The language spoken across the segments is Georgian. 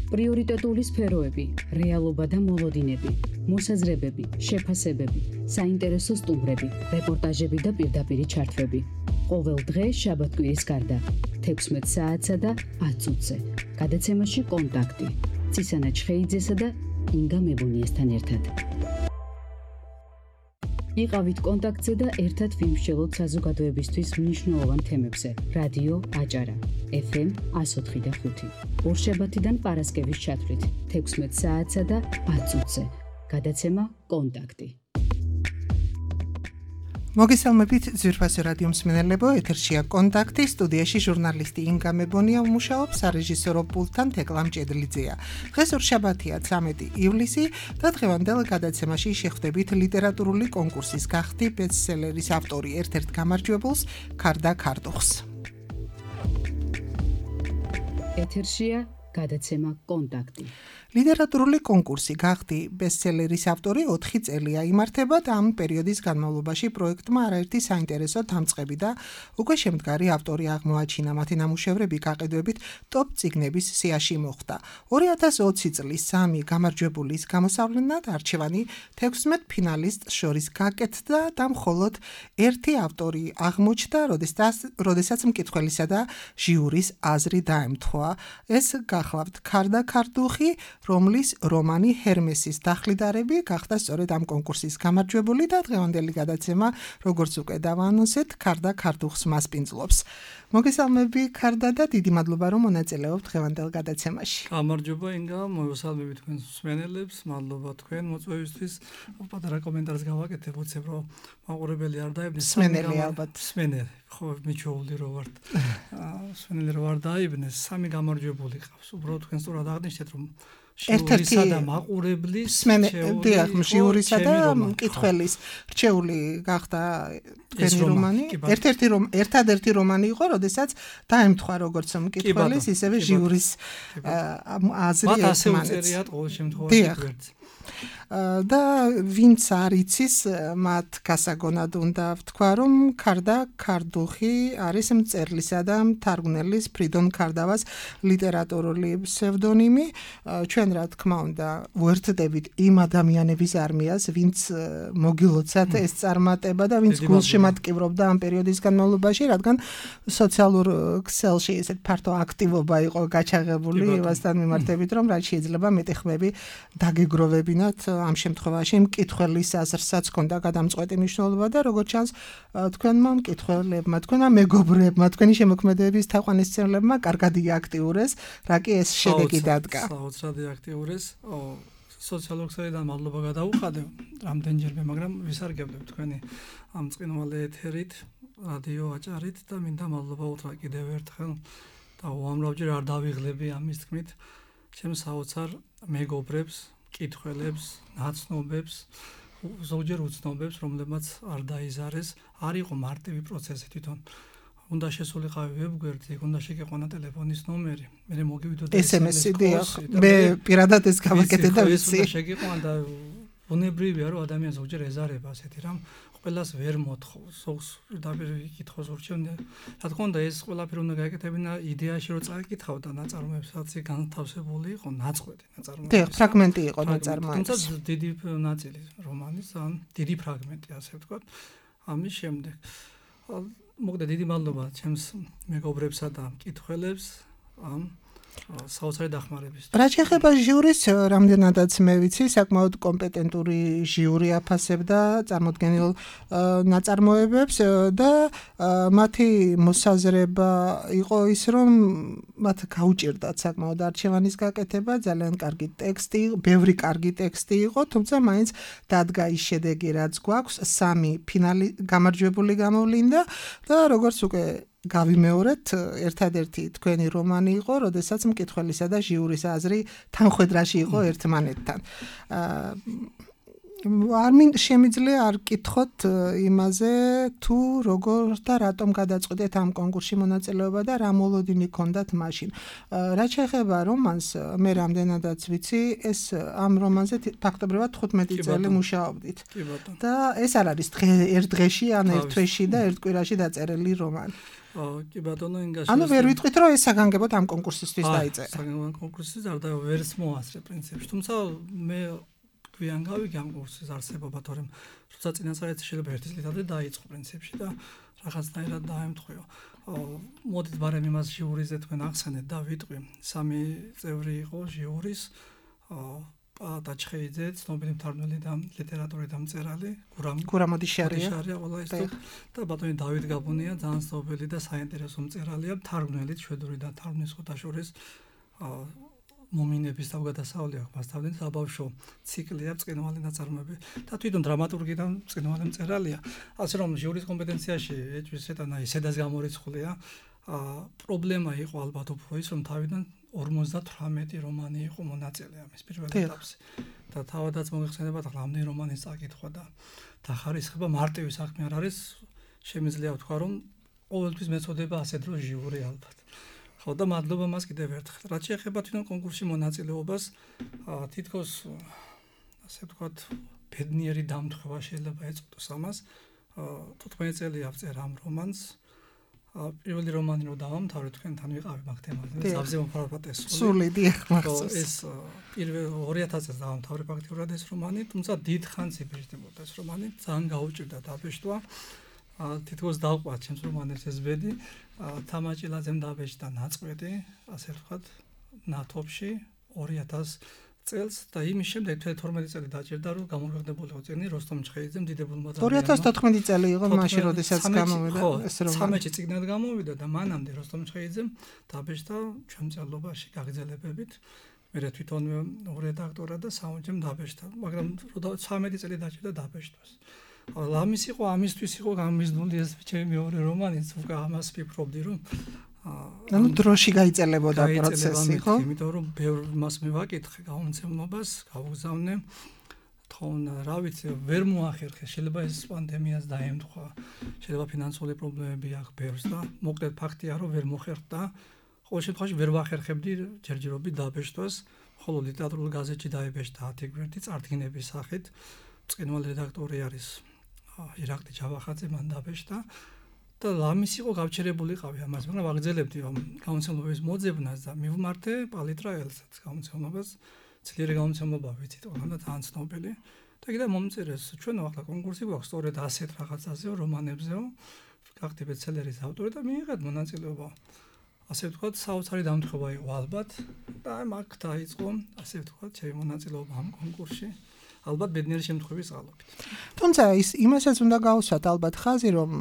პრიორიტეტული სფეროები, რეალობა და მოლოდინები, მოსაზრებები, შეფასებები, საინტერესო სტუმრები, რეპორტაჟები და პირდაპირი ჩართვები. ყოველ დღე შაბათ-კვირის გარდა 16 საათსა და 10 წუთზე. გადაცემაში კონტაქტი. ცისანა ჩხეიძესა და ინგა მებონიესთან ერთად. იყავით კონტაქტზე და ერთად ვიმსჯელოთ საზოგადოებისთვის მნიშვნელოვან თემებზე. რადიო აჭარა, FM 104.5. ორშაბათიდან პარასკევის ჩათვლით 16 საათსა და 10 წუთზე. გადაცემა კონტაქტი. მოგესალმებით ძვირფასი რადიო მსმენელებო, ეთერშია კონტაქტი, სტუდიაში ჟურნალისტი ინგა მებონია უმუშაობს, სარეჟისორო პულტთან თეკლა მჭედლიძეა. დღეს ორშაბათია 13 ივლისი და დღევანდელ გადაცემაში შეხვდებით ლიტერატურული კონკურსის გახდი ბესტსელერის ავტორი ერთ-ერთ გამარჯვებულს ქარდა ქარდუხს. ეთერშია გადაცემა კონტაქტი. ლიტერატურული კონკურსი გახდი ბესტსელერის ავტორი 4 წელია იმართება და ამ პერიოდის განმავლობაში პროექტმა არაერთი საინტერესო დამწყები და უკვე შემდგარი ავტორი აღმოაჩინა. მათი ნამუშევრები გაყიდვებით ტოპ წიგნების სიაში მოხვდა. 2020 წლის 3 გამარჯვებულის გამოსავლენად არჩევანი 16 ფინალისტს შორის გაკეთდა და მხოლოდ ერთი ავტორი აღმოჩნდა, როდესაც მკითხველისა და ჟიურის აზრი დაემთხვა. ეს გახლავთ ქარდა ქარდუხი, რომლის რომანი ჰერმესის დახლიდარები გახდა სწორედ ამ კონკურსის გამარჯვებული და დღევანდელი გადაცემა, როგორც უკვე დავაანონსეთ, ქარდა ქარდუხს მასპინძლობს. მოგესალმები ქარდა და დიდი მადლობა რომ მონაწილეობთ დღევანდელ გადაცემაში. გამარჯობა ინგა, მოგესალმებით თქვენ მსმენელებს, მადლობა თქვენ მოწვევისთვის. პატარა კომენტარს გავაკეთებ, უცებ რომ მაყურებელი არ დაიბნეს. მსმენელი ალბათ. მსმენელი, ხო, მიჩვეული რო ვართ. მსმენელი რო არ დაიბნეს, 3 გამარჯვებული ყავს. უბრალოდ თქვენ სწორად აღნიშნეთ რომ ჟიურისა და მაყურებლის ჟიურისა და მკითხველის რჩეული გახდა თქვენი რომანი. ერთადერთი რომანი იყო, როდესაც დაემთხვა როგორც მკითხველის, ისევე ჟიურის აზრი ერთმანეთს. მათ ასე უწერიათ ყოველ შემთხვევაში გვერდს. და ვინც არ იცის, მათ გასაგონად უნდა ვთქვა, რომ ქარდა ქარდუხი არის მწერლისა და მთარგმნელის ფრიდონ ქარდავას ლიტერატურული ფსევდონიმი. ჩვენ რა თქმა უნდა ვერთდებით იმ ადამიანების არმიას, ვინც მოგილოცათ ეს წარმატება და ვინც გულში მატკივრობდა ამ პერიოდის განმავლობაში, რადგან სოციალურ ქსელში ესეთ ფართო აქტივობა იყო გაჩაღებული იმასთან მიმართებით, რომ რაც შეიძლება მეტი ხმები დაგეგროვებინათ ამ შემთხვევაში მკითხველის აზრსაც ჰქონდა გადამწყვეტი მნიშვნელობა და როგორც ჩანს თქვენმა მკითხველებმა, თქვენმა მეგობრებმა, თქვენი შემოქმედების თაყვანისმცემლებმა კარგად იაქტიურეს, რა კი ეს შედეგი დადგა. საოცრად იაქტიურეს. სოციალურ ქსელიდან მადლობა გადაუხადებ რამდენჯერმე, მაგრამ ვისარგებლებ თქვენი ამ წინვალე ეთერით, რადიო აჭარით და მინდა მადლობა უთხრა კიდევ ერთხელ და უამრავჯერ არ დავიღლები ამის თქმით ჩემს საოცარ მეგობრებს, მკითხველებს, ნაცნობებს, ზოგჯერ უცნობებს, რომლებმაც არ დაიზარეს, არ იყო მარტივი პროცესი თვითონ. უნდა შესულიყავი ვებგვერდზე, უნდა შეგეყვანა ტელეფონის ნომერი, მე მოგივიდოდა SMS-ი, მე პირადად ეს გავაკეთე და ვიცი. უნდა შეგეყვანა და ბუნებრივია, რომ ადამიანს ზოგჯერ ეზარება ასეთი რამ, ყველას ვერ მოთხოვს, ზოგს დაპირ იკითხოს ურჩევნია. რა თქმა უნდა, ეს ყველაფერი უნდა გაეკეთებინა იდეაში, რომ წაიკითხავ და ნაწარმოებს, რაც განთავსებული იყო, ნაწყვეტი ნაწარმოები. ფრაგმენტი იყო ნაწარმოები. თუმცა დიდი ნაწილი რომანის, ან დიდი ფრაგმენტი, ასე ვთქვათ, ამის შემდეგ. მოგდა დიდი მადლობა ჩემს მეგობრებსა და მკითხველებს ამ საოცარი დახმარების. რა შეეხება ჟიურის, რამდენადაც მე ვიცი, საკმაოდ კომპეტენტური ჟიური აფასებდა წარმოდგენილ ნაწარმოებებს და მათი მოსაზრება იყო ის, რომ მათ გაუჭირდათ საკმაოდ არჩევანის გაკეთება, ძალიან კარგი ტექსტი, ბევრი კარგი ტექსტი იყო, თუმცა მაინც დადგა ის შედეგი, რაც გვაქვს, 3 ფინალი გამარჯვებული გამოვლინდა და როგორც უკვე გავიმეორეთ, ერთადერთი თქვენი რომანი იყო, როდესაც მკითხველისა და ჟიურის აზრი თანხვედრაში იყო ერთმანეთთან. არ შემიძლია არ კითხოთ იმაზე თუ როგორ და რატომ გადაწყვეტეთ ამ კონკურსში მონაწილეობა და რა მოლოდინი ჰქონდათ მაშინ. რაც შეეხება რომანს, მე რამდენადაც ვიცი, ეს ამ რომანზე ფაქტობრივად 15 წელი მუშაობდით. და ეს არ არის ერთ დღეში, ან ერთ თვეში და ერთ კვირაში დაწერილი რომანი. კი ბატონო, ინგაში. ანუ ვერ ვიტყვით, რომ ეს საგანგებოდ ამ კონკურსისთვის დაიწერა. საგანგებოდ კონკურსისთვის არ და ვერც მოასწრე პრინციპში. თუმცა მე გვიან გავიგე ამ კონკურსის არსებობა, თორემ როცა წინასწარი შეიძლება ერთი წლით ადრე დაიწყო პრინციპში და რაღაცნაირად დაემთხვიო. მოდით ბარემ იმას ჟიურიზე თქვენ ახსენეთ და ვიტყვი. 3 წევრი იყო ჟიურის, დაჩხეიძე, ცნობილი მთარგმნელი და ლიტერატურის დამწერალი, გურამ ოდიშარია ყველა ის და ბატონი დავით გაბუნია, ძალიან ცნობილი და საინტერესო მწერალია, მთარგმნელი შვედური და თარგმნის ხუთაშორის მომინების თავგადასავლი აქვს მასწავლენ საბავშვო ციკლია წკინვალი ნაწარმოები და თვითონ დრამატურგი და წკინვალი მწერალია. ასე რომ ჟიურის კომპეტენციაში ეჭვის ეტანა ისედაც გამორიცხულია. პრობლემა იყო ალბათ უფრო ის, რომ თავიდან 58 რომანი იყო მონაწილე ამის პირველ ეტაპზე. და თავადაც მოგეხსენებათ, რამდენი რომანის წაკითხვა და დახარისხება მარტივი საქმე არ არის. შემიძლია ვთქვა, რომ ყოველთვის მეწოდება ასე დრო ჟიური ალბათ. ხო და მადლობა მას კიდევ ერთხელ. რაც შეეხება თვითონ კონკურსში მონაწილეობას, თითქოს ასე ვთქვათ, ბედნიერი დამთხევა შეიძლება ეწოდოს ამას. 15 წელი ავწერა ამ რომანს. პირველი რომანი რო დავამთავრე, თქვენთან ვიყავი მაგ თემაზე. ზავზე მომხმარებლად სული დიახ მახსოვს. ეს პირველ 2000 წელს დავამთავრე ფაქტიურად ეს რომანი, თუმცა დიდ ხანს იბეჭდებოდა ეს რომანი, ძალიან გაუჭირდა დაბეჭდვა. თითქოს დავყვა ჩემს რომანებს ეს ბედი, თამაჭილაძემ დაბეჭდა ნაწყვეტი, ასე ვთქვათ, ნათოფში 2000 წელს და იმის შემდეგ 12 წელი დაჭირდა, რომ გამოგხდებულიყო წიგნი როსტომ ჩხეიძემ დიდებულმა ადამიანმა. 2014 წელი იყო მაშინ, როდესაც გამოვიდა ეს რომანი. 13 წიგნად გამოვიდა და მანამდე როსტომ ჩხეიძემ დაბეჭდა ჩვენ მწერლობაში გაგრძელებებით. მე თვითონ რედაქტორად და საუნჯემ დაბეჭდა, მაგრამ 13 წელი დაჭირდა დაბეჭდვას. ამის იყო, ამისთვის იყო გამიზნული ეს ჩემი მეორე რომანიც, უკვე ამას ვფიქრობდი, რომ ანუ დროში გაიწელებოდა პროცესი, ხო? იმიტომ რომ ბევრ მას მივაკითხე გამომცემლობას, გავგზავნე. თქონ, რა ვიცი, ვერ მოახერხე, შეიძლება ეს პანდემიას დაემთხვა, შეიძლება ფინანსური პრობლემები აქვს ბევრს და მოკლედ ფაქტია, რომ ვერ მოხერხდა. ყოველ შემთხვევაში ვერ ვახერხებდი ჯერჯერობით დაბეჭდვას, ხოლო ლიტერატურულ გაზეთში დაიბეჭდა 10 გვერდი წარდგინების სახით. წკინვალ რედაქტორი არის ირაკლი ჯავახაძე, მან დაბეჭდა. და ამის იყო გავჩერებულიყავი ამას, მაგრამ ვაგრძელებდი გამომცემლობის მოძებნას და მივმართე პალიტრაელსაც გამომცემლობას, ძლიერი გამომცემლობა ვიცით, და ძალიან ცნობილი. და კიდე მომწერეს, ჩვენო ახლა კონკურსი გვაქვს სწორედ ასეთ რაღაცაზეო, რომანებზეო, გახდი ბესტსელერის ავტორი და მიიღეთ მონაწილეობა. ასე ვთქვათ, საოცარი დამთხევა იყო ალბათ და მაგ დაიწყო, ასე ვთქვათ, ჩემი მონაწილეობა ამ კონკურსში. ალბათ ბედნიერი შემთხვევის წყალობით. თუმცა იმასაც უნდა გავუსვათ ალბათ ხაზი, რომ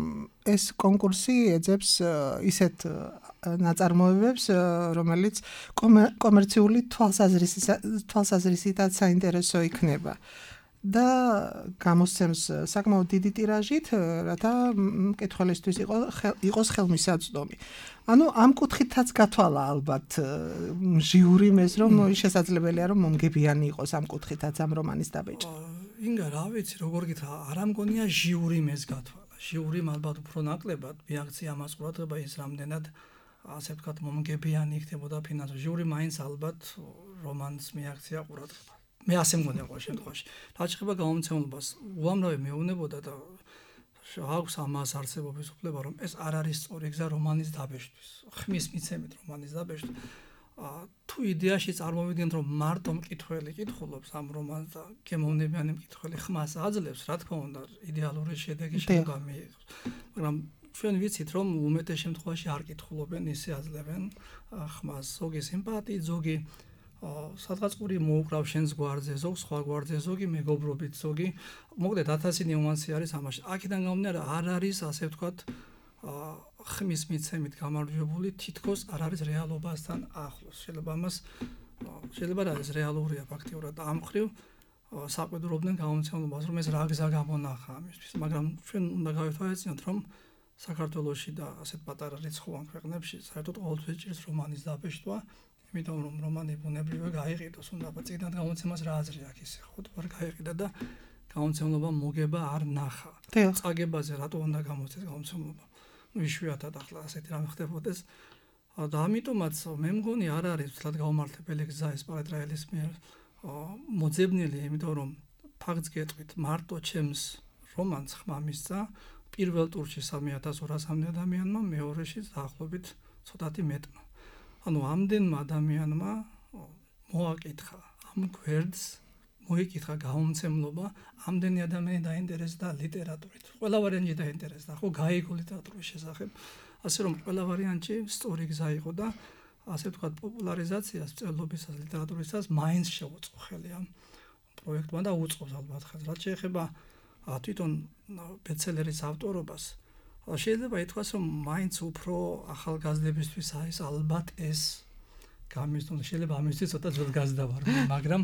ეს კონკურსი ეძებს ისეთ ნაწარმოებებს, რომელიც კომერციული თვალსაზრისითაც საინტერესო იქნება. და გამოსცემს საკმაოდ დიდი ტირაჟით, რათა მკითხველისთვის იყოს ხელმისაწვდომი. ანუ ამ კუთხითაც გათვალა ალბათ ჟიურიმ ეს, რომ შესაძლებელია რომ მომგებიანი იყოს ამ კუთხითაც ამ რომანის დაბეჭდა. ინგა, რა ვიცი, როგორ გითხრა, არ ამგონია ჟიურიმ ეს გათვალა. ჟიურიმ ალბათ უფრო ნაკლებად მიაღწია ამას ყურადღება ის რამდენად ასე ვთქვათ მომგებიანი იქნებოდა ფინანსური. ჟიური მაინც ალბათ რომანს მიაღწია ყურადღება. მე ასე მგონია ყოველ შემთხვევაში. რაც შეეხება გამომცემლობას, უამრავი მეუბნებოდა და აქვს ამას არსებობის უფლება, რომ ეს არ არის სწორი გზა რომანის დაბეჭდვის. ხმის მიცემით რომანის დაბეჭდვა. თუ იდეაში წარმოვიდგენთ, რომ მარტო მკითხველი კითხულობს ამ რომანს და გემოვნებიანი მკითხველი ხმას აძლევს, რა თქმა უნდა, იდეალური შედეგი შეიძლება მიიღოს. მაგრამ ჩვენ ვიცით, რომ უმეტეს შემთხვევაში არ კითხულობენ, ისე აძლევენ ხმას. ზოგი სიმპათიით, ზოგი სადღაც ყური მოუკრავ შენს გვარზე, ზოგ სხვა გვარზე, ზოგი მეგობრობით, ზოგი მოკლედ 1000 ნიუანსი არის ამაში. აქედან გამომდინარე არ არის ასე ვთქვათ ხმის მიცემით გამარჯვებული, თითქოს არ არის რეალობასთან ახლოს. შეიძლება ამას შეიძლება რა ეს რეალურია ფაქტიურად და ამ ხრივ საყვედურობდნენ გამომცემლობას, რომ ეს რა გზა გამონახა ამისთვის, მაგრამ ჩვენ უნდა გავეთვალისწინოთ, რომ საქართველოში და ასეთ პატარა რიცხოვან ქვეყნებში საერთოდ ყოველთვის ჭირს რომანის დაბეჭდვა. იმიტომ რომ რომანი ბუნებრივად გაიყიდოს, უნდა წიგნად გამოცემას რა აზრი აქვს ისე, ხო, თუ არ გაიყიდა და გამომცემლობა მოგება არ ნახა. წაგებაზე რატო უნდა გამოცეს გამომცემლობა? იშვიათად ახლა ასეთი რამე ხდებოდეს. და ამიტომაც მე მგონი არ არის თლად გაუმართლებელი გზა ეს პარატრაელის მიერ მოძებნილი, იმიტომ რომ ფაქტს გეტყვით, მარტო ჩემს რომანს ხმა მისცა პირველ ტურში 3200-მდე ადამიანმა, მეორეში დაახლოებით ცოტათი მეტმა. ანუ ამდენმა ადამიანმა მოაკითხა ამ გვერდს, მოიკითხა გამომცემლობა, ამდენი ადამიანი დაინტერესდა ლიტერატურით. ყველა ვარიანტი დაინტერესდა, ხო, გაიგო ლიტერატურის შესახებ. ასე რომ ყველა ვარიანტი სწორი გზა იყო და ასე ვთქვათ პოპულარიზაციას მწერლობისას ლიტერატურისას მაინც შეუწყო ხელი ამ პროექტმა და უწყობს ალბათ ხელს. რაც შეეხება თვითონ ბესტსელერის ავტორობას, შეიძლება ითქვას, რომ მაინც უფრო ახალგაზრდებისთვის არის ალბათ ეს გამიზნული. შეიძლება ამისთვის ცოტა ძველ გაზრდა ვარ, მაგრამ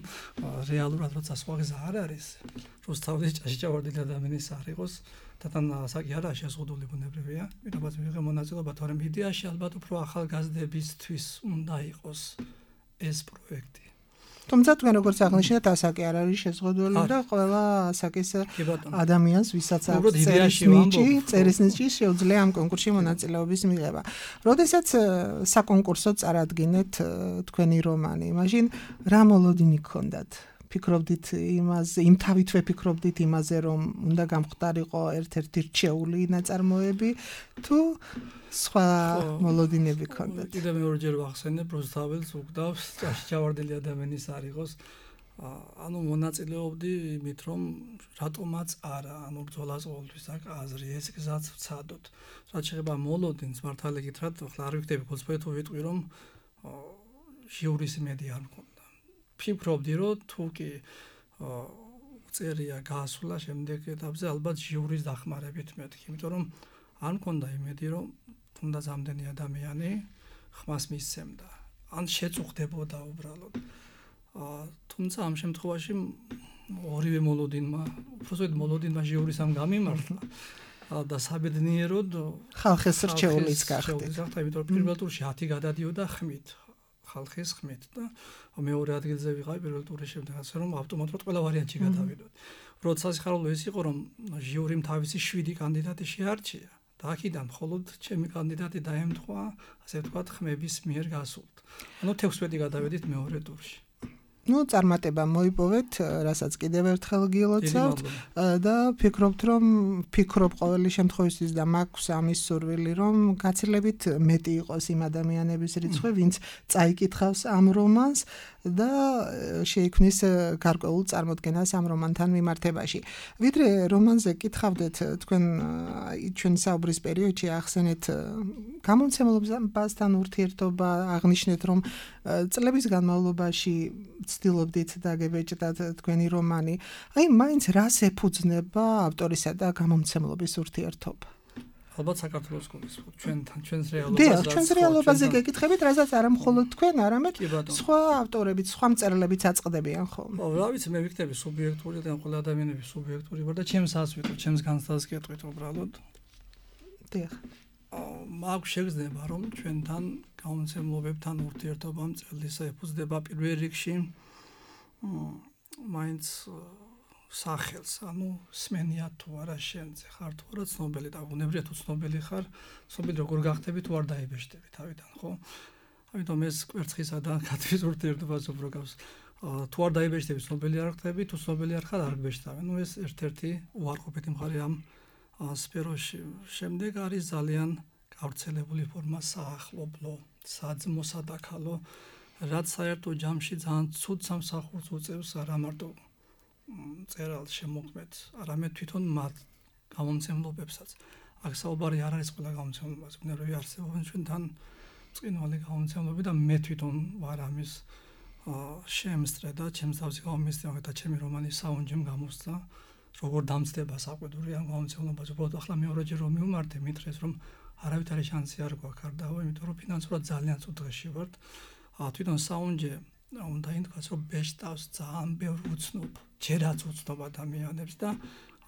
რეალურად როცა სხვა გზა არ არის, რუსთავის ჭაში ჩავარდილი ადამიანის არ იყოს და თან ასაკი არაა შეზღუდული ბუნებრივია. ვიღებაც მიიღე მონაწილეობა, თორემ იდეაში ალბათ უფრო ახალგაზრდებისთვის უნდა იყოს ეს პროექტი. თუმცა თქვენ როგორც აღნიშნეთ, ასაკი არ არის შეზღუდული და ყველა ასაკის ადამიანს, ვისაც აქვს წერის ნიჭი, შეუძლია ამ კონკურსში მონაწილეობის მიღება. როდესაც საკონკურსო წარადგინეთ თქვენი რომანი, მაშინ რა მოლოდინი გქონდათ? ფიქრობდით იმაზე, იმ თავით ვეფიქრობდით იმაზე, რომ უნდა გამختارიყო ერთ-ერთი რჩეული ნაწარმოები, თუ სხვა მოლოდინები გქონდათ? კიდე მეორჯერ ვახსენებ, რუსთაველს უგდავს ჭაში ჩავარდილი ადამიანის არ იყოს. ანუ მონაწილეობდი იმით, რომ რატომაც არა, ანუ ბრძოლას ყოველთვის აქვს აზრი, ეს გზაც ვცადოთ. რაც შეეხება მოლოდინს, მართალი გითხრათ, ახლა არ ვიქნები გულწრფელი თუ ვიტყვი, რომ ჟიურის იმედი არ მქონდა. ფიქრობდი, რომ თუ კი წერია გაასვლა შემდეგ ეტაპზე, ალბათ ჟიურის დახმარებით მეთქი, იმიტომ რომ არ მქონდა იმედი, რომ თუნდაც ამდენი ადამიანი ხმას მისცემდა, ან შეწუხდებოდა უბრალოდ. თუმცა ამ შემთხვევაში ორივე მოლოდინმა, უბრალოდ მოლოდინმა ჟიურის ამ გამიმართლა და საბედნიეროდ ხალხის რჩეულიც გახდით. იმიტომ რომ პირველ ტურში 10 გადადიოდა ხმით. ხალხის ხმით და მეორე ადგილზე ვიყავი პირველ ტურის შემდეგ, ასე რომ ავტომატურად ყველა ვარიანტი გადავიდოდ. უბრალოდ სასიხარულო ეს იყო, რომ ჟიურიმ თავისი 7 კანდიდატი შეარჩია და აქედან მხოლოდ ჩემი კანდიდატი დაემთხვა, ასე ვთქვათ, ხმების მიერ გასულთ. ანუ 16 გადავედით მეორე ტურში. წარმატება მოიპოვეთ, რასაც კიდევ ერთხელ გილოცავთ და ფიქრობთ ყოველი შემთხვევისთვის და მაქვს ამის სურვილი, რომ გაცილებით მეტი იყოს იმ ადამიანების რიცხვი, ვინც წაიკითხავს ამ რომანს და შეიქმნის გარკვეულ წარმოდგენას ამ რომანთან მიმართებაში. ვიდრე რომანზე კითხავდეთ, თქვენ ჩვენი საუბრის პერიოდში ახსენეთ გამომცემლობასთან ურთიერთობა, აღნიშნეთ, რომ წლების განმავლობაში ცდილობდით დაგებეჭდათ თქვენი რომანი. აი, მაინც რას ეფუძნება ავტორისა და გამომცემლობის ურთიერთობა? ალბათ საქართველოს გულისხმობ, ჩვენს რეალობაზე. ჩვენს რეალობაზე გეკითხებით, რასაც არა მხოლოდ თქვენ, არამედ სხვა ავტორებიც, სხვა მწერლებიც აწყდებიან ხოლმე. რა ვიცი, მე ვიქნები სუბიექტური და ყველა ადამიანები სუბიექტური ვარ და ჩემს ას ვიტყვი, ჩემს განცდას გეტყვით უბრალოდ. დიახ. მაქვს შეგრძნება, რომ ჩვენთან გამომცემლობებთან ურთიერთობა მწერლისა ეფუძნება პირველ რიგში მაინც სახელს, ანუ სმენია თუ არა შენზე, ხარ თუ არა ცნობილი და ბუნებრივია თუ ცნობილი ხარ, ცნობილი როგორ გახდები თუ არ დაიბეჭდები თავიდან, ხო? ამიტომ ეს კვერცხისა და კატრის ურთიერთობას უფრო გავს. თუ არ დაიბეჭდები, ცნობილი არ ხდები, თუ ცნობილი არ ხარ, არ გბეჭდავენ. ეს ერთ-ერთი უარყოფითი მხარე ამ სფეროში. შემდეგ არის ძალიან გავრცელებული ფორმა საახლობლო, საძმო, სადაქალო, რაც საერთო ჯამში ძალიან ცუდ სამსახურს უწევს არა მარტო მწერალს შემოქმედს, არამედ თვითონ მათ გამომცემლობებსაც. აქ საუბარი არ არის ყველა გამომცემლობაზე, ბუნებრივია არსებობენ ჩვენთან ბრწყინვალე გამომცემლობები და მე თვითონ ვარ ამის შემსწრე და ჩემს თავზე გამომისწრე და ჩემი რომანი საუნჯემ გამოსცა. როგორ დამცდება საყვედური ამ გამომცემლობაზე. უბრალოდ ახლა მეორეჯერ რომ მივმართე, მითხრეს რომ არავითარი შანსი არ გვაქვს არ დავო, იმიტომ რომ ფინანსურად ძალიან ცუდ დღეში ვართ. თვითონ საუნჯე უნდა ითქვას, რომ ბეჭდავს ძალიან ბევრ უცნობ, ჯერაც უცნობ ადამიანებს და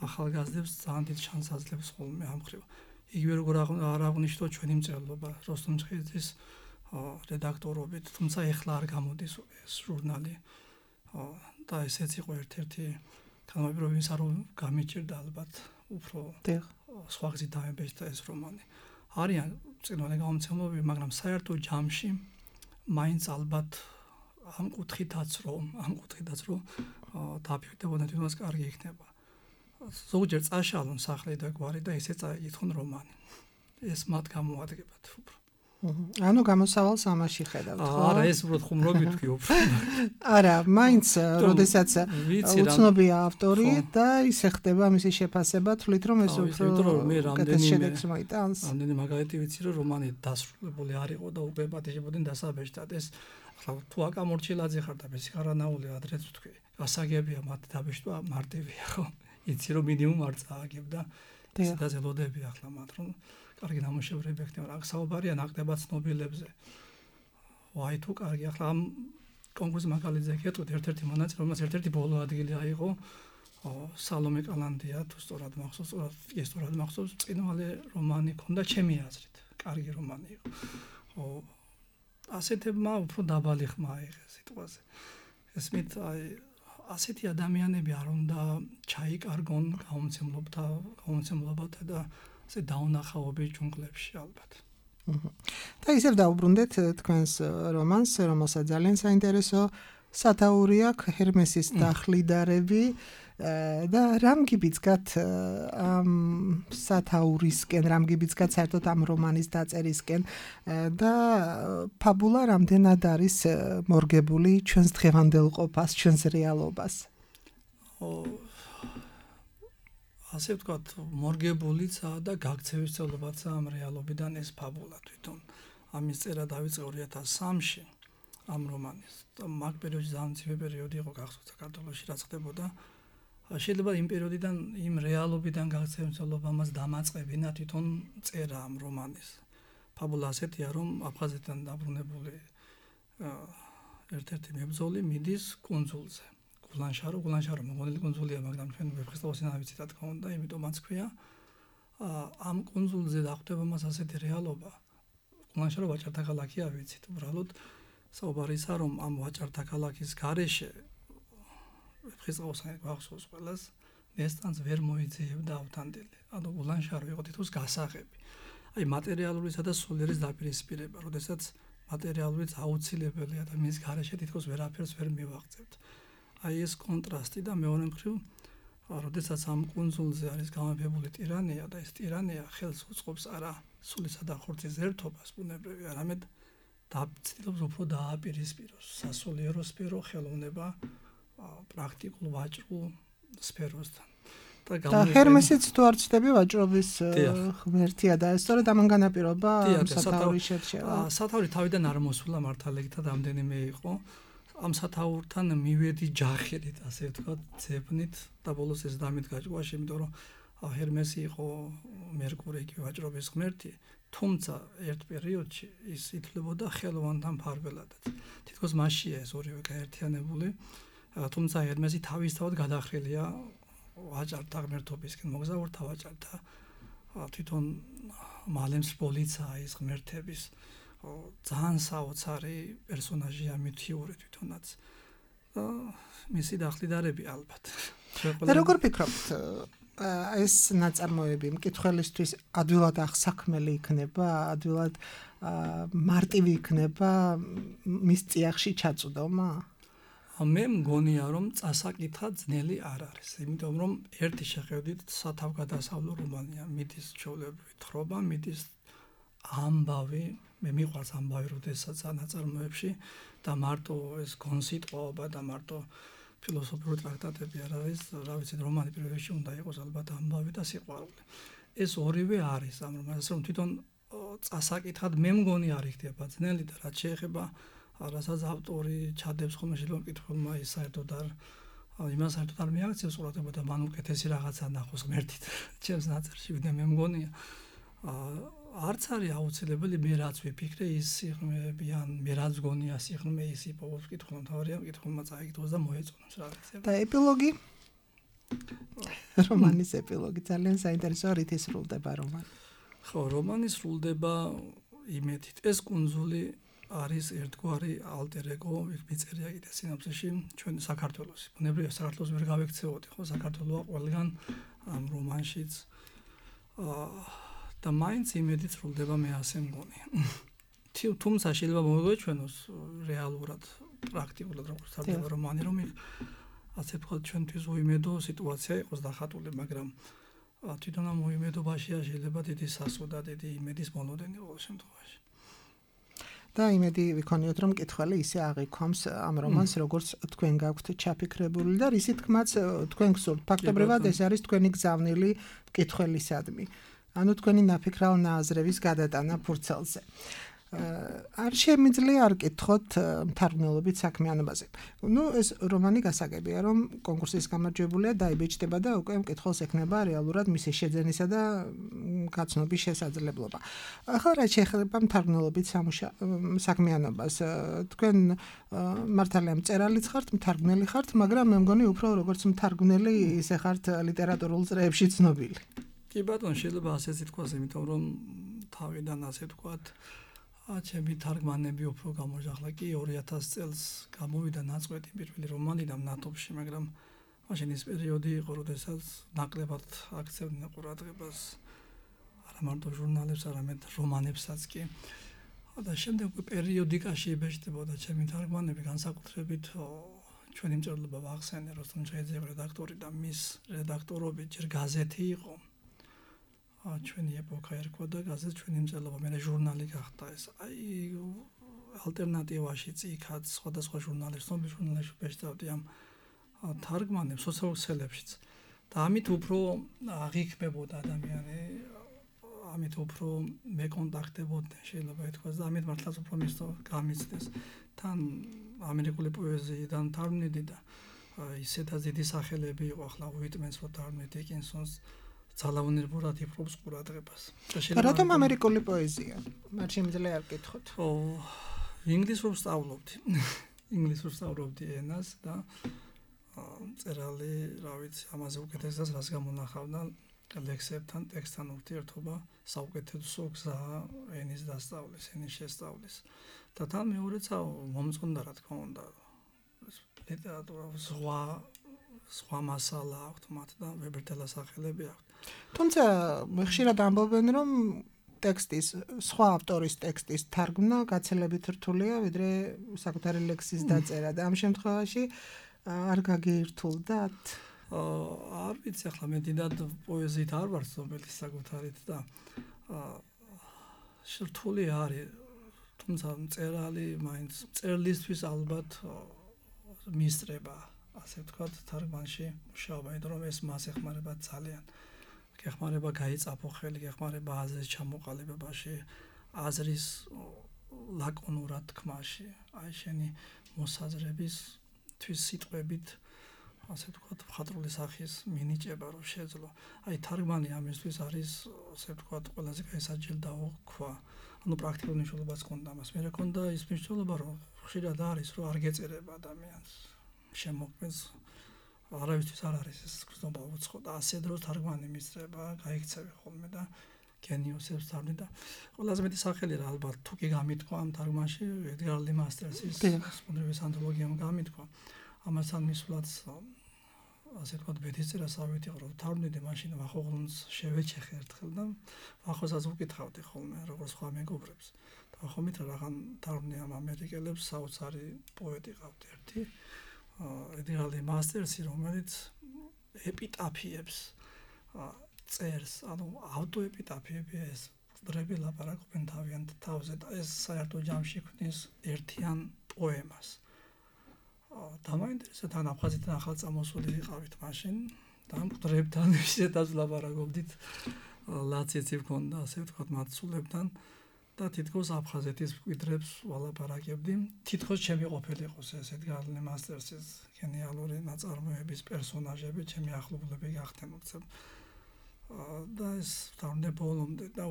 ახალგაზრდებს ძალიან დიდ შანსს აძლევს ხოლმე ამ მხრივ. იგივე როგორ არ აღნიშნო ჩვენი მწერლობა, როსტომ ჭხიძის რედაქტორობით, თუმცა ეხლა არ გამოდის ეს ჟურნალი და ესეც იყო ერთ-ერთი განმეორების არ გამიჭირდა ალბათ უფრო სხვა გზით დაემბეჭდა ეს რომანი. არიან წინვალე გამომცემლობები, მაგრამ საერთო ჯამში მაინც ალბათ ამ კუთხითაც რომ დაფიქრდებოდა თვითონაც კარგი იქნება. ზოგჯერ წაშალონ სახლი და გვარი და ესე წაიკითხონ რომანი. ეს მათ გამოადგებათ უფრო. ანუ გამოსავალს ამაში ხედავთ, ხო? არა, ეს უბრალოდ ხუმრობი თქვი უფრო. არა, მაინც როდესაც უცნობია ავტორი და ისე ხდება მისი შეფასება, თვლით რომ ეს უფრო შედეგს მოიტანს. რამდენი მაგალითი ვიცი რომ რომანი დასრულებული არ იყო და უკვე პატიჟებოდნენ დასაბეჭდად. ეს ახლა თუ აკამორჩილაძე ხარ და მესიხარანაული ადრეც თქვი, გასაგებია მათ დაბეჭდვა მარტივია, ხო? იცი რომ მინიმუმ არ წააგებდა. და ზელოდები ახლა მათ რომ კარგი ნამუშევრები ექნება. აქ საუბარია ნაკლებად ცნობილებზე. ვაი თუ კარგი ახლა ამ კონკურსის მაგალითზე გეტყვით ერთ-ერთი მონაწილე, რომელსაც ერთ-ერთი ბოლო ადგილი აიღო სალომე კალანდია, თუ სწორად მახსოვს, წინვალე რომანი ქონდა ჩემი აზრით. კარგი რომანი იყო. ასეთებმა უფრო დაბალი ხმა აიღეს სიტყვაზე. ესმით აი ასეთი ადამიანები არ უნდა ჩაიკარგონ გამომცემლობათა და ასე დაუნახაობის ჯუნგლებში ალბათ. და ისევ დაუბრუნდეთ თქვენს რომანს, რომელსაც ძალიან საინტერესო სათაური აქვს, ჰერმესის დახლიდარები და რამ გიბიძგათ ამ სათაურისკენ, რამ გიბიძგათ საერთოდ ამ რომანის დაწერისკენ და ფაბულა რამდენად არის მორგებული ჩვენს დღევანდელ ყოფას, ჩვენს რეალობას? ასე ვთქვათ, მორგებულიცაა და გაქცევისწოლებაცაა ამ რეალობიდან ეს ფაბულა თვითონ. ამის წერა დავიწყე 2003-ში ამ რომანის. მაგ პერიოდში ძალიან მცირე პერიოდი იყო გახსოვთ საქართველოში რაც ხდებოდა. შეიძლება იმ პერიოდიდან, იმ რეალობიდან გაქცევისწოლება მას დამაწყებინა თვითონ წერა ამ რომანის. ფაბულა ასეთია, რომ აფხაზეთიდან დაბრუნებული ერთ-ერთი მებრძოლი მიდის კუნძულზე. გულანშარო მოგონილი კუნძულია, მაგრამ ჩვენ ვეფხისტყაოსი არ ვიცით რა თქმა უნდა, იმიტომ მაც ქვია. ამ კუნძულზე დახვდება მას ასეთი რეალობა. გულანშარო ვაჭართა ქალაქია ვიცით, უბრალოდ საუბარისა რომ ამ ვაჭართა ქალაქის გარეშე ვეფხისტყაოსანი გვახსოვს ყველას, ნესტანს ვერ მოიძიებდა ავთანდილი. ანუ გულანშარო იყო თითქოს გასაღები. აი მატერიალურისა და სულიერის დაპირისპირება, როდესაც მატერიალურიც აუცილებელია და მის გარეშე თითქოს ვერაფერს ვერ მივაღწევთ. აი ეს კონტრასტი და მეორე მხრივ, როდესაც ამ კუნძულზე არის გამეფებული ტირანია და ეს ტირანია ხელს უწყობს არა სულისა და ხორცის ერთობას ბუნებრივი, არამედ ცდილობს უფრო დააპირისპიროს სასულიერო სფერო ხელოვნება პრაქტიკულ ვაჭრულ სფეროსთან. და ჰერმესიც თუ არ ცდები ვაჭრობის ღმერთია და ეს სწორედ ამან განაპირობა სათაურის შერჩევა. სათაური თავიდან არ მოსულა მართალექითად რამდენიმე იყო. ამ სათაურთან მივედი ჯახერით, ასე ვთქვათ, ძებნით და ბოლოს ეს დამით გაჭყვაში, იმიტომ რომ ჰერმესი იყო მერკური კი ვაჭრობის ღმერთი, თუმცა ერთ პერიოდში ის ითვლებოდა ხელოვანთან ფარველადაც. თითქოს მასშია ეს ორივე გაერთიანებული, თუმცა ჰერმესი თავისთავად გადახრილია ვაჭართა ღმერთობისკენ, მოგზაურთა ვაჭართა თვითონ მალემს პოლიცაა ის ღმერთების ძალიან საოცარი პერსონაჟია მითიური თვითონაც. მისი დახლიდარები ალბათ. როგორ ფიქრობთ, ეს ნაწარმოები მკითხველისთვის ადვილად აღსაქმელი იქნება, ადვილად მარტივი იქნება მის წიაღში ჩაწვდომა? მე მგონია, რომ წასაკითხა ძნელი არ არის, იმიტომ რომ ერთი შეხედვით სათავგადასავლო რომანია, მიდის ჩვეულებრივი თხრობა, მიდის ამბავი, მე მიყვარს ამბავი, როდესაც ნაწარმოებში და მარტო ეს გონსიტყვაობა და მარტო ფილოსოფიური ტრაქტატები არ არის, რა ვიცი, რომანი პირველ რიგში უნდა იყოს ალბათ ამბავი და სიყვარული. ეს ორივე არის ამ რომანს, რომ თვითონ წასაკითხად მე მგონი არ იქნება ძნელი და რაც შეეხება რასაც ავტორი ჩადებს ხოლმე შეიძლება მკითხველმა ის საერთოდ არ იმას საერთოდ არ მიაქცევს ყურადღება და მან უკეთესი რაღაცა ნახოს ღმერთით ჩემს ნაწერში, ვიდრე მე მგონია არც არის აუცილებელი მე რაც ვიფიქრე ის სიღრმეები ან მე რაც გონია სიღრმე ის იპოვოს მკითხველმა, თავარია მკითხველმა წაიგდოს და მოეწონოს რა ვიცი. და ეპილოგი? რომანის ეპილოგი ძალიან საინტერესოა, რითი სრულდება რომანი? ხო, რომანი სრულდება იმედით. ეს კუნძული არის ერთგვარი alter ego, იქ მიწერია კიდე სინაფსში ჩვენი საქართველოსი. ბუნებრივია საქართველოს ვერ გავექცეოდი, ხო, საქართველოა ყველგან ამ რომანშიც. და მაინც იმედით სრულდება მე ასე მგონი. თუმცა შეიძლება მოვიგვეჩვენოს რეალურად, პრაქტიკულად როგორც თარდება რომანი, რომ ასე ვთქვათ, ჩვენთვის უიმედო სიტუაცია იყოს დახატული, მაგრამ თვითონ ამ უიმედობაშია შეიძლება დიდი სასუდა, დიდი იმედის მონოდენი ყოველ შემთხვევაში. და იმედი ვიქონიოთ, რომ მკითხველი ისე აღიქვამს ამ რომანს, როგორც თქვენ გაქვთ ჩაფიქრებული და რისი თქმაც თქვენ გსურთ. ფაქტობრივად ეს არის თქვენი გზავნილი მკითხველისადმი. ანუ თქვენი ნაფიქრალ ნაზრების გადატანა ფურცელზე. არ შემიძლია არ კითხოთ მთარგმნელობით საქმიანობაზე. ეს რომანი გასაგებია, რომ კონკურსის გამარჯვებულია, დაიბეჭდება და უკვე მკითხველს ექნება რეალურად მისი შეძენისა და გაცნობის შესაძლებლობა. ახლა რა შეეხება მთარგმნელობით საქმიანობას? თქვენ მართალია მწერალიც ხართ, მთარგმნელი ხართ, მაგრამ მე მგონი უფრო როგორც მთარგმნელი ისე ხართ ლიტერატურულ წრეებში ცნობილი. კი ბატონო, შეიძლება ასეც ითქვას, იმიტომ რომ თავიდან ასე ვთქვათ, ჩემი თარგმანები უფრო გამოჟახლა კი 2000 წელს გამოვიდა ნაწყვეტი პირველი რომანი და ნატოფში, მაგრამ მაშინ ის პერიოდი იყო, როდესაც ნაკლებად აქცევდნენ ყურადღებას არა მარტო ჟურნალებს, არამედ რომანებსაც კი. და შემდეგ პერიოდიკაში იბეჭდებოდა ჩემი თარგმანები, განსაკუთრებით ჩვენი მწერლობა ვახსენე, როსტომ ჩაიძიება რედაქტორი და მის რედაქტორობით ჯერ გაზეთი იყო. ჩვენი ეპოქა ერქვა და გაზეთ ჩვენი მწერლობა, მე ჟურნალი გახდა ეს. აი ალტერნატივაში წიქაც სხვადასხვა ჟურნალებს, ცნობილ ჟურნალებში ბეჭდავდი ამ თარგმანებს სოციალურ ქსელებშიც. და ამით უფრო აღიქმებოდა ადამიანი, ამით უფრო მეკონტაქტებოდნენ, შეიძლება ითქვას და ამით მართლაც უფრო გამიცდეს. თან ამერიკული პოეზიიდან თარგმნიდი და ისედაც დიდი სახელები იყო, ახლა უიტმენს რო თარგმნი, დიკინსონს ძალაუნებურად იფრობს ყურადღებას. რატომ ამერიკული პოეზია? არ შემიძლია არ კითხოთ. ინგლისურ ვსწავლობდი. ინგლისურ ვსწავლობდი ენას და მწერალი, რა ვიცი, ამაზე უკეთესად რას გამონახავდა ლექსებთან, ტექსტთან ურთიერთობა, საუკეთესო გზა ენის დასწავლის, ენის შესწავლის. და თან მეორეც მომწონდა, რა თქმა უნდა, ლიტერატურა სხვა მასალა აქვს მათ და ვებერტელა სახელები აქვს. თუმცა ხშირად ამბობენ, რომ ტექსტის, სხვა ავტორის ტექსტის თარგმნა გაცილებით რთულია, ვიდრე საკუთარი ლექსის დაწერა და ამ შემთხვევაში არ გაგირთულდათ? არ ვიცი, ახლა მე დიდად პოეზიით არ ვარ ცნობილი საკუთარით და რთული არის, თუმცა მწერალი მაინც მწერლისთვის ალბათ მისწრება, ასე ვთქვათ, თარგმანში მუშაობა, იმიტომ რომ ეს მას ეხმარება ძალიან. გეხმარება გაიწაფო ხელი, გეხმარება აზრის ჩამოყალიბებაში, აზრის ლაკონურად თქმაში, აი შენი მოსაზრებისთვის სიტყვებით, ასე ვთქვათ, მხატვრული სახის მინიჭება რომ შეძლო. აი თარგმანი ამისთვის არის, ასე ვთქვათ, ყველაზე გაესაჯელდაო ქვა. ანუ პრაქტიკულ მნიშვნელობას ჰქონდა ამას. მე მქონდა ის მნიშვნელობა, რომ ხშირად არის, რომ არ გეწერება ადამიანს. შემოქმედს არავისთვის არ არის ეს გზნობა უცხო და ასე დროს თარგმანი მისწრება, გაიქცევი ხოლმე და გენიოსებს თარგმნი და ყველაზე მეტი სახელი რა ალბათ თუ კი გამითქვა ამ თარგმანში ედგარ ლი მასტერსის სპონდრების ანთოლოგიამ გამითქვა. ამასთან მისვლაც ასე ვთქვათ ბედისწერა სავით იყო, რომ თარგმნიდი მაშინ ვახოღლუნს შევეჩეხე ერთხელ და ვახოსაც ვკითხავდი ხოლმე როგორც სხვა მეგობრებს. და ვახომით რაღაც თარგმნი ამ ამერიკელებს საოცარი პოეტი ყავთ ერთი ედგარ ლი მასტერსი, რომელიც ეპიტაფიებს წერს, ანუ ავტოეპიტაფიები ეს დრები ლაპარაკობენ თავიანთ თავზე და ეს საერთო ჯამში ქმნის ერთიან პოემას. დამაინტერესა თან აფხაზეთიდან ახალ წამოსული ვიყავით მაშინ და ამ დრებთან ისედაც ლაპარაკობდით, ლაციცი ვქონდა, ასე ვთქვათ, მათ სულებთან და თითქოს აფხაზეთის მკვიდრებს ვალაპარაკებდი. თითქოს ჩემი ყოფილი იყოს ეს ედგარ ლი მასტერსის გენიალური ნაწარმოების პერსონაჟები, ჩემი ახლობლები გახდნენ უცებ. და ეს ვთანხმდე ბოლომდე და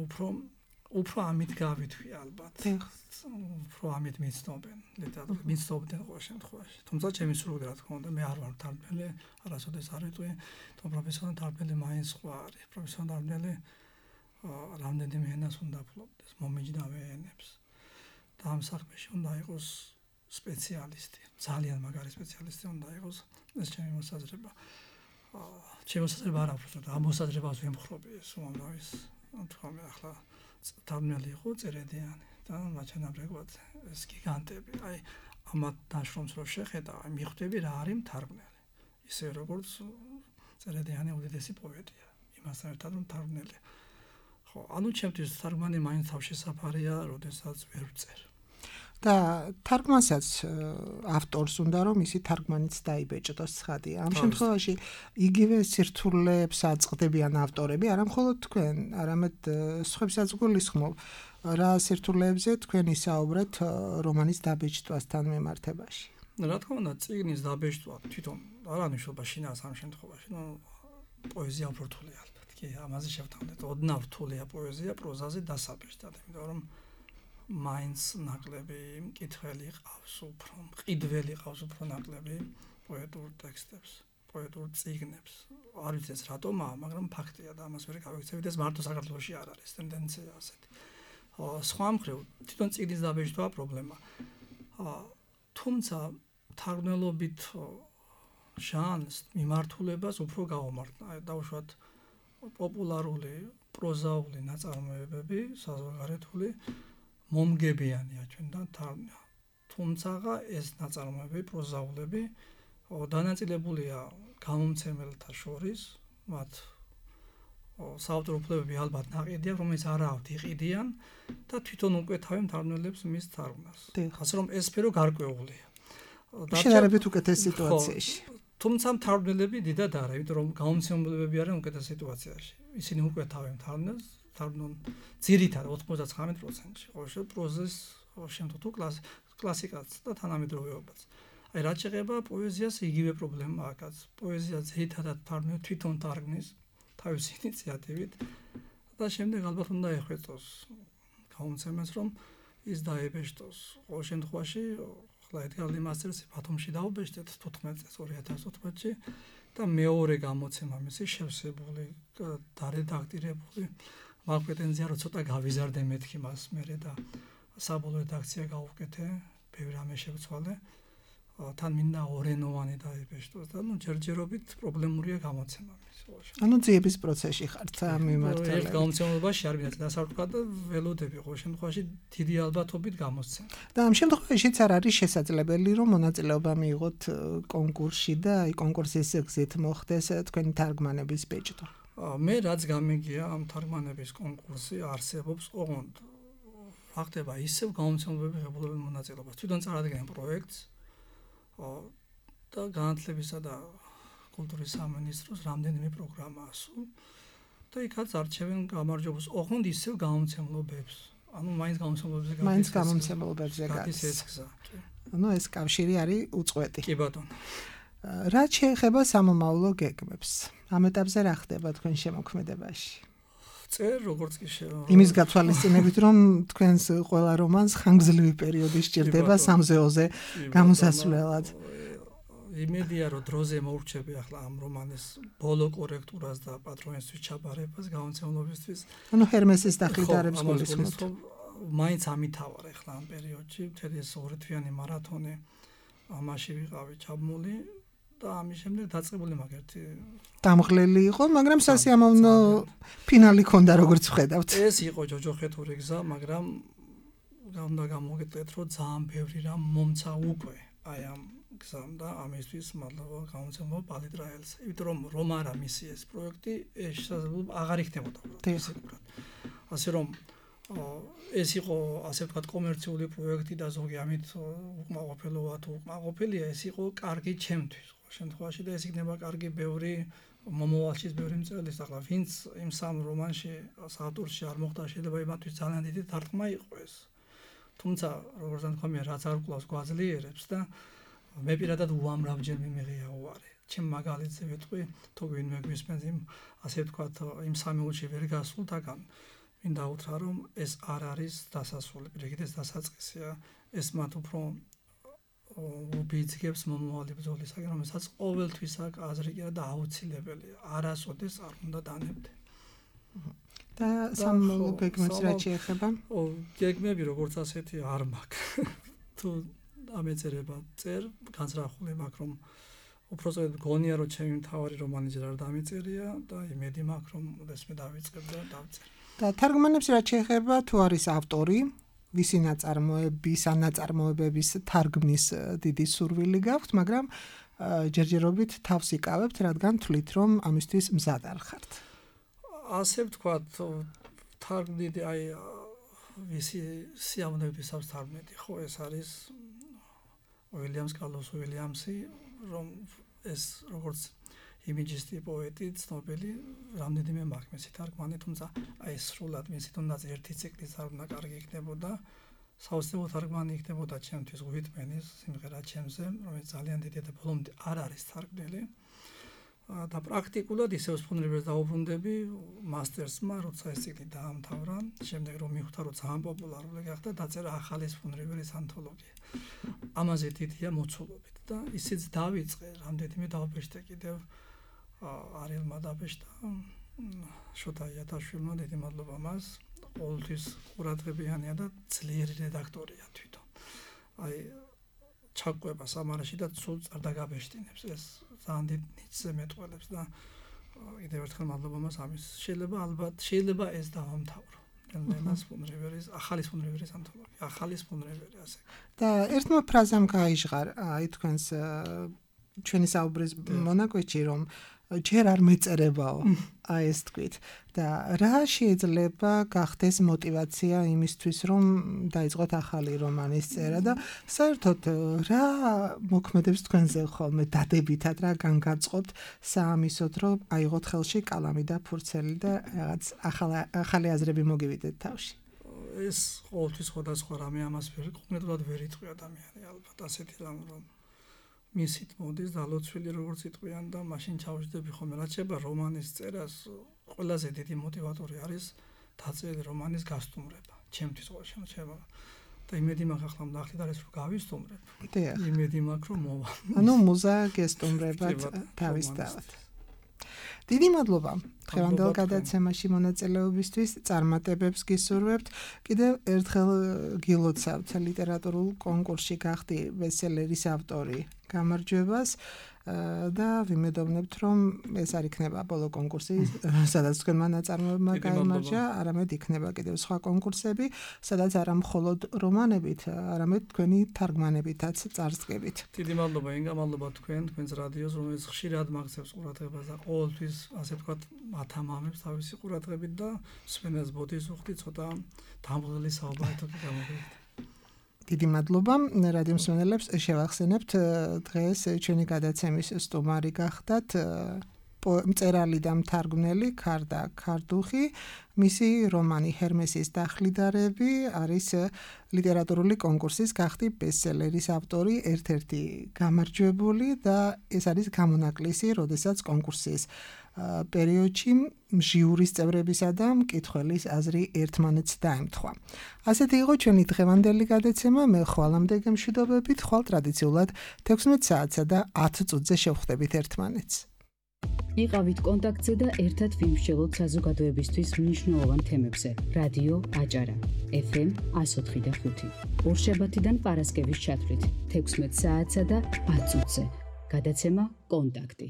უფრო ამით გავითქვი ალბათ. უფრო ამით მიცნობენ, ლიტერატურა მიცნობდნენ ყოველ შემთხვევაში. თუმცა ჩემი სრული რა თქმა უნდა, მე არ ვარ თარგმნელი, არასოდეს არ ვიტყვი, თუმცა პროფესიონალი თარგმნელი მაინც სხვა არის. პროფესიონალი რამდენიმე ენას უნდა ფლობდეს, მომიჯნავე ენებს. და ამ საქმეში უნდა იყოს სპეციალისტი, ძალიან მაგარი სპეციალისტი უნდა იყოს, ეს ჩემი მოსაზრება. ჩემი მოსაზრება არ აქვს, რომ ამ მოსაზრებას ვემხრობი, ეს უმამრავის, თქვა ახლა თარგმნელი იყო წერედიანი და მაჩვენებლად ეს გიგანტები, აი ამათ დაშრომს რო შეხედა, მიხვდები რა არის თარგმნელი. ისე როგორც წერედიანი უდიდესი პოეტია, იმასთან ერთად რომ თარგმნელი. ხო, ანუ ჩემთვის თარგმანი მაინც თავშესაფარია, როდესაც ვერ ვწერ. და თარგმანსაც ავტორს უნდა რომ ისი თარგმანიც დაიბეჭდოს ცხადია. ამ შემთხვევაში იგივე სირთულეებს აწყდებიან ავტორები, არა მხოლოდ თქვენ, არამედ სხვებსაც გულისხმობ, რა სირთულეებზე თქვენ ისაუბრეთ რომანის დაბეჭდვასთან მიმართებაში. რა თქმა უნდა, წიგნის დაბეჭდვა თვითონ არ ანიშნულება შინაარს ამ შემთხვევაში, პოეზია უფრო რთულია ალბათ. კი, ამაზე შევთავაზეთ. ოდნავ რთულია პოეზია პროზაზე დასაბეჭდად, იმიტომ რომ მაინც ნაკლები მკითხველი ყავს უფრო, მყიდველი ყავს უფრო ნაკლები პოეტურ ტექსტებს, პოეტურ წიგნებს. არ ვიცი ეს რატომაა, მაგრამ ფაქტია და ამას ვერ გავიქცევით, ეს მარტო საქართველოში არ არის ტენდენცია ასეთი. სხვა მხრივ, თვითონ წიგნის დაბეჭდვა პრობლემა. თუმცა თარგმნელობით ჟანრს მიმართულებას უფრო გავუმართლა. დავუშვათ პოპულარული პროზაული ნაწარმოებები, საზღვარგარეთული მომგებიანია ჩვენთან თარგმნა. თუმცა ეს ნაწარმოებები, პროზაულები დანაწილებულია გამომცემელთა შორის, მათ საავტორო უფლებები ალბათ ნაყიდია, რომელიც არა აქვთ იყიდიან და თვითონ უკეთავენ თარგმნელებს მის თარგმნას. ასე რომ ეს სფერო გარკვეულია. შედარებით უკეთეს სიტუაციაში. თუმცა თარგმნელები დიდად არა, იმიტომ რომ გამომცემლებები არიან უკეთეს სიტუაციაში. ისინი უკეთავენ თარგმნას, თარგმნონ ძირითადად 99%-ში. ყოველ შემთხვევაში პროზას, ყოველ შემთხვევაში კლასიკაც და თანამედროვეობაც. აი რაც შეეხება პოეზიას, იგივე პრობლემა აქვს. პოეზია ძირითადად თარგმნებს თვითონ თარგმნის თავისი ინიციატივით და შემდეგ ალბათ უნდა ეხვეწოს გამომცემელს, რომ ის დაებეჭდოს. ყოველ შემთხვევაში ახლა ედგარ ლიმასტერს ბათუმში დაუბეჭდეთ 2014-ში და მეორე გამოცემა მისი შევსებული, დარედაქტირებული. მაგ პრეტენზია რო ცოტა გავიზარდე მეთქი მას მერე და საბოლოო რედაქცია გავუკეთე, ბევრი რამე შევცვალე. თან მინდა ორენოვანი დაიბეჭდოს და ჯერჯერობით პრობლემურია გამოცემა მის. ანუ ძიების პროცესში ხართ ამ მიმართულებით. ერთ გამოცემაში არ ვინაც დასარკვა და ველოდები ყოველ შემთხვევაში დიდი ალბათობით გამოსცემ. და ამ შემთხვევაშიც არ არის შესაძლებელი რომ მონაწილეობა მიიღოთ კონკურსში და აი კონკურსის გზით მოხდეს თქვენი თარგმანების ბეჭდვა. მე რაც გამიგია ამ თარგმანების კონკურსი არსებობს ოღონდ რა ხდება ისევ გამომცემლობები ღებულობენ მონაწილეობას. თვითონ წარადგენენ პროექტს და განათლებისა და კულტურის სამინისტროს რამდენიმე პროგრამაა სულ და იქაც არჩევენ გამარჯვებას ოღონდ ისევ გამომცემლობებს. ანუ მაინც გამომცემლობებზე გადის ეს გზა. ანუ ეს კავშირი არის უწყვეტი. კი ბატონო. რაც შეეხება სამომავლო გეგმებს, ამ ეტაპზე რა ხდება თქვენ შემოქმედებაში? წერ როგორც კი იმის გათვალისწინებით რომ თქვენს ყველა რომანს ხანგრძლივი პერიოდი სჭირდება სამზეოზე გამოსასვლელად. იმედია რომ დროზე მოურჩები ახლა ამ რომანის ბოლო კორექტურას და პატრონისთვის ჩაბარებას გამომცემლობისთვის. ანუ ჰერმესის დახვედრებს გულისხმობთ. მაინც ამითავარ ახლა ამ პერიოდში, მთელი ეს ორთვიანი მარათონი ამაში ვიყავი ჩაბმული და ამის შემდეგ დაწყებული მაგერთი დამღლელი იყო, მაგრამ სასიამოვნო ფინალი ქონდა როგორც ვხედავთ. ეს იყო ჯოჯოხეთური გზა, მაგრამ უნდა გამოგეტყვეთ, რომ ძალიან ბევრი რამ მომცა უკვე აი ამ გზამ და ამისთვის მადლობა გამოცემულ პალიტრაელს. იმიტომ რომ რომარა მისი ეს პროექტი შესაძლებლობა აღარ იქნებოდა ფიზიკურად. ასე რომ ეს იყო ასე ვთქვათ კომერციული პროექტი და ზოგი ამით უკმაყოფილოა თუ უკმაყოფილია, ეს იყო კარგი ჩემთვის. შემთხვევაში და ეს იქნება კარგი ბევრი მომავალში ბევრი მწერლის ახლა ვინც იმ სამ რომანში საავტორში არ მოხდა შეიძლება იმათთვის ძალიან დიდი დარტყმა იყო ეს. თუმცა როგორც თქვია რაც არ კლავს გვაძლიერებს და მე პირადად უამრავჯერ მიმიღია უარი. ჩემ მაგალითზე ვეთქვი, თუ ვინმე გვისმენს იმ ასე ვთქვათ იმ სამეულში ვერ გასულთაგან მინდა უთხრა რომ ეს არ არის დასასრული, პირიქით ეს დასაწყისია, ეს მათ უფრო უბიძგებს მომავალი ბრძოლისაგან, რომელსაც ყოველთვის აქვს აზრი და აუცილებელია. არასოდეს არ უნდა დანებდე. და სამომავლო გეგმებს რაც შეეხება? გეგმები როგორც ასეთი არ მაქვს. თუ ამეწერება წერ განსრახული მაქვს რომ უბრალოდ გონია რომ ჩემი მთავარი რომანი ჯერ არ დამიწერია და იმედი მაქვს რომ ოდესმე დავიწყებ და დავწერ. და თარგმანებს რაც შეეხება თუ არის ავტორი ვისი ნაწარმოების ან ნაწარმოებების თარგმნის დიდი სურვილი გაქვთ, მაგრამ ჯერჯერობით თავს იკავებთ, რადგან თვლით რომ ამისთვის მზად არ ხართ. ასე ვთქვათ, თარგმნილი აი ვისი სიამოვნებისას თარგმნილი, ხო, ეს არის Carlos Williams-ი, რომ ეს როგორც იმიჯისტი პოეტი, ცნობილი, რამდენიმე მაქვს მისი თარგმანი, თუმცა აი სრულად მისი თუნდაც ერთი ციკლი თარგმნა კარგი იქნებოდა, საოცრებო თარგმანი იქნებოდა ჩემთვის უიტმენის სიმღერა ჩემზე, რომელიც ძალიან დიდი და ბოლომდე არ არის თარგმნილი. და პრაქტიკულად ისევ სფუნერებს დაუბრუნდები მასტერსმა, როცა ეს ციკლი დაამთავრა, შემდეგ რომ მიხვდა რომ ძალიან პოპულარული გახდა, დაწერა ახალი სფუნერების ანთოლოგია. ამაზე დიდია მოცულობით და ისიც დავიწყე, რამდენიმე დავბეჭდა კიდევ არილმა დაბეჭდა შოთა იათაშვილმა, დიდი მადლობა მას, ყოველთვის ყურადღებიანია და ძლიერი რედაქტორია თვითონ. აი ჩაკვება სამარაში და სულ არ დაგაბეჭდინებს, ეს ძალიან დიდ ნიჭზე მეტყველებს და კიდევ ერთხელ მადლობა მას ამის. შეიძლება ეს დავამთავრო. ელენას ფუნრიβერის, ახალი ფუნრიβერის ანთოლოგია, ახალი ფუნრივერი ასე. და ერთმა ფრაზამ გაიჟღარ, აი თქვენს ჩვენი საუბრის მონაკვეთში, რომ ჯერ არ მეწერებაო, აი ეს თქვით. და რა შეიძლება გახდეს მოტივაცია იმისთვის, რომ დაიწყოთ ახალი რომანის წერა და საერთოდ რა მოქმედებს თქვენზე ხოლმე დადებითად, რა განგაწყობთ საამისოდ, რომ აიღოთ ხელში კალამი და ფურცელი და რაღაც ახალი აზრები მოგივიდეთ თავში. ეს ყოველთვის სხვადასხვა რამე ამას კონკრეტულად ვერ იტყვი ადამიანი, ალბათ ასეთი რამ რომ მისით მოდის და ლოცვილი როგორც იტყვიან და მაშინ ჩავждები ხოლმე რაც შეება რომანის წერას ყველაზე დიდი მოტივატორი არის დაწერილი რომანის გასტუმრება ჩემთვის ყოველ შემოჩება და იმედი მაქვს ახლა ნახეთ არის რომ გავისტუმრებ იმედი მაქვს რომ მოვა ანუ მუზა გესტუმრებათ თავისთავად დიდი მადლობა დღევანდელ გადაცემაში მონაწილეობისთვის წარმატებებს გისურვებთ კიდევ ერთხელ გილოცავთ ლიტერატურულ კონკურსში გახდი ბესტსელერის ავტორი გამარჯვებას და ვიმედოვნებთ რომ ეს არ იქნება ბოლო კონკურსი სადაც თქვენმა ნაწარმოებმა გაიმარჯვა არამედ იქნება კიდევ სხვა კონკურსები სადაც არა მხოლოდ რომანებით არამედ თქვენი თარგმანებითაც წარსდგებით დიდი მადლობა ინგა მადლობა თქვენს რადიოს რომელიც ხშირად მაღწევს ყურადღებას და ყოველთვის ასე ვთქვათ ათამამებს თავისი ყურადღებით და სვენას ბოდის უხდი ცოტა დამღლელი საუბარით გამოვიდეთ დიდი მადლობა რადიო მსმენელებს შევახსენებთ დღეს ჩვენი გადაცემის სტუმარი გახდათ მწერალი და მთარგმნელი ქარდა ქარდუხი მისი რომანი ჰერმესის დახლიდარები არის ლიტერატურული კონკურსის გახდი ბესტსელერის ავტორი ერთ-ერთი გამარჯვებული და ეს არის გამონაკლისი როდესაც კონკურსის პერიოდში ჟიურის წევრებისა და მკითხველის აზრი ერთმანეთს დაემთხვა. ასეთი იყო ჩვენი დღევანდელი გადაცემა. მე ხვალამდე გემშვიდობებით, ხვალ ტრადიციულად 16 საათსა და 10 წუთზე შევხვდებით ერთმანეთს. იყავით კონტაქტზე და ერთად ვიმსჯელოთ საზოგადოებისთვის მნიშვნელოვან თემებზე. რადიო აჭარა FM 104.5. ორშაბათიდან პარასკევის ჩათვლით 16 საათსა და 10 წუთზე. გადაცემა კონტაქტი